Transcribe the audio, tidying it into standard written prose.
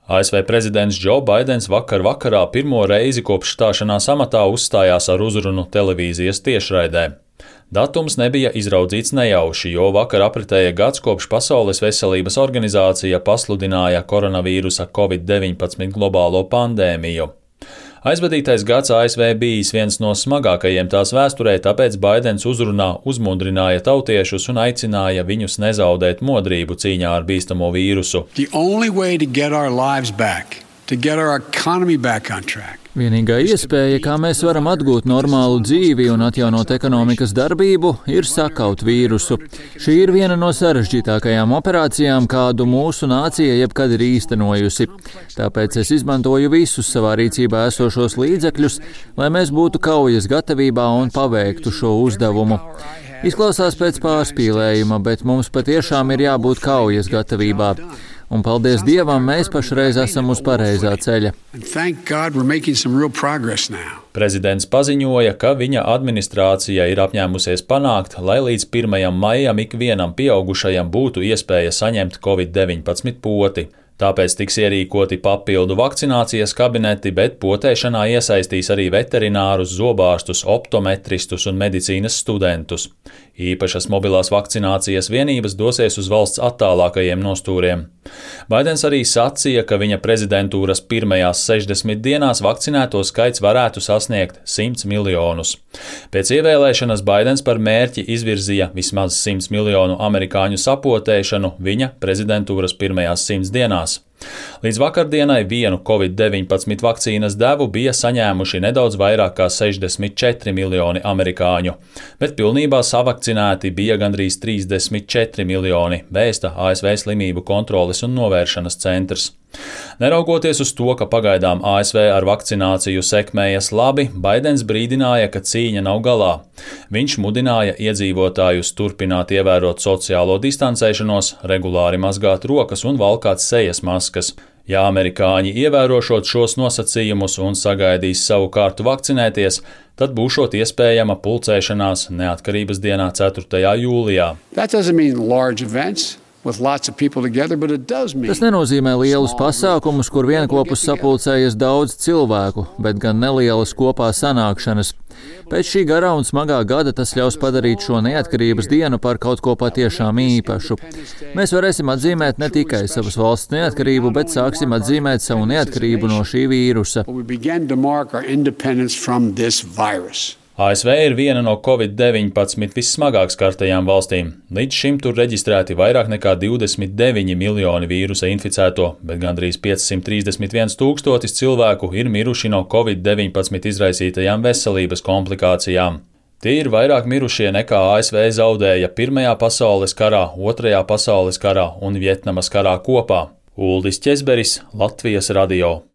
ASV prezidents Džo Baidens vakarā pirmo reizi kopš stāšanās amatā uzstājās ar uzrunu televīzijas tiešraidē. Datums nebija izraudzīts nejauši, jo vakar apritēja gads kopš Pasaules veselības organizācija pasludināja koronavīrusa COVID-19 globālo pandēmiju. Aizvadītais gads ASV bijis viens no smagākajiem tās vēsturē, tāpēc Baidens uzrunā uzmundrināja tautiešus un aicināja viņus nezaudēt modrību cīņā ar bīstamo vīrusu. Vienīgā iespēja, kā mēs varam atgūt normālu dzīvi un atjaunot ekonomikas darbību, ir sakaut vīrusu. Šī ir viena no sarežģītākajām operācijām, kādu mūsu nācija jebkad ir īstenojusi. Tāpēc es izmantoju visus savā rīcībā esošos līdzekļus, lai mēs būtu kaujas gatavībā un paveiktu šo uzdevumu. Izklausās pēc pārspīlējuma, bet mums patiešām ir jābūt kaujas gatavībā. Un paldies Dievam, mēs pašreiz esam uz pareizā ceļa. Prezidents paziņoja, ka viņa administrācija ir apņēmusies panākt, lai līdz 1. maijam ikvienam pieaugušajam būtu iespēja saņemt COVID-19 poti. Tāpēc tiks ierīkoti papildu vakcinācijas kabineti, bet potēšanā iesaistīs arī veterinārus, zobārstus, optometristus un medicīnas studentus. Īpašas mobilās vakcinācijas vienības dosies uz valsts attālākajiem nostūriem. Baidens arī sacīja, ka viņa prezidentūras pirmajās 60 dienās vakcinēto skaits varētu sasniegt 100 miljonus. Pēc ievēlēšanas Baidens par mērķi izvirzīja vismaz 100 miljonu amerikāņu sapotēšanu viņa prezidentūras pirmajās 100 dienās. Līdz vakardienai vienu COVID-19 vakcīnas devu bija saņēmuši nedaudz vairāk kā 64 miljoni amerikāņu, bet pilnībā savakcinēti bija gandrīz 34 miljoni, vēsta ASV Slimību kontroles un novēršanas centrs. Neraugoties uz to, ka pagaidām ASV ar vakcināciju sekmējas labi, Baidens brīdināja, ka cīņa nav galā. Viņš mudināja iedzīvotājus turpināt ievērot sociālo distancēšanos, regulāri mazgāt rokas un valkāt sejas maskas. Ja amerikāņi ievērošot šos nosacījumus un sagaidīs savu kārtu vakcinēties, tad būšot iespējama pulcēšanās Neatkarības dienā 4. jūlijā. Tas nenozīmē lielus pasākumus, kur vienopus sapulcējas daudz cilvēku, bet gan nelielas kopā sanākšanas. Pēc šī garā un smagā gada tas ļaus padarīt šo neatkarības dienu par kaut ko patiešām īpašu. Mēs varēsim atzīmēt ne tikai savas valsts neatkarību, bet sāksim atzīmēt savu neatkarību no šī vīrusa. ASV ir viena no COVID-19 vissmagāk skartajām valstīm. Līdz šim tur reģistrēti vairāk nekā 29 miljoni vīrusa inficēto, bet gandrīz 531 tūkstotis cilvēku ir miruši no COVID-19 izraisītajām veselības komplikācijām. Tie ir vairāk mirušie nekā ASV zaudēja Pirmajā pasaules karā, Otrajā pasaules karā un Vjetnamas karā kopā. Uldis Ķezberis, Latvijas radio.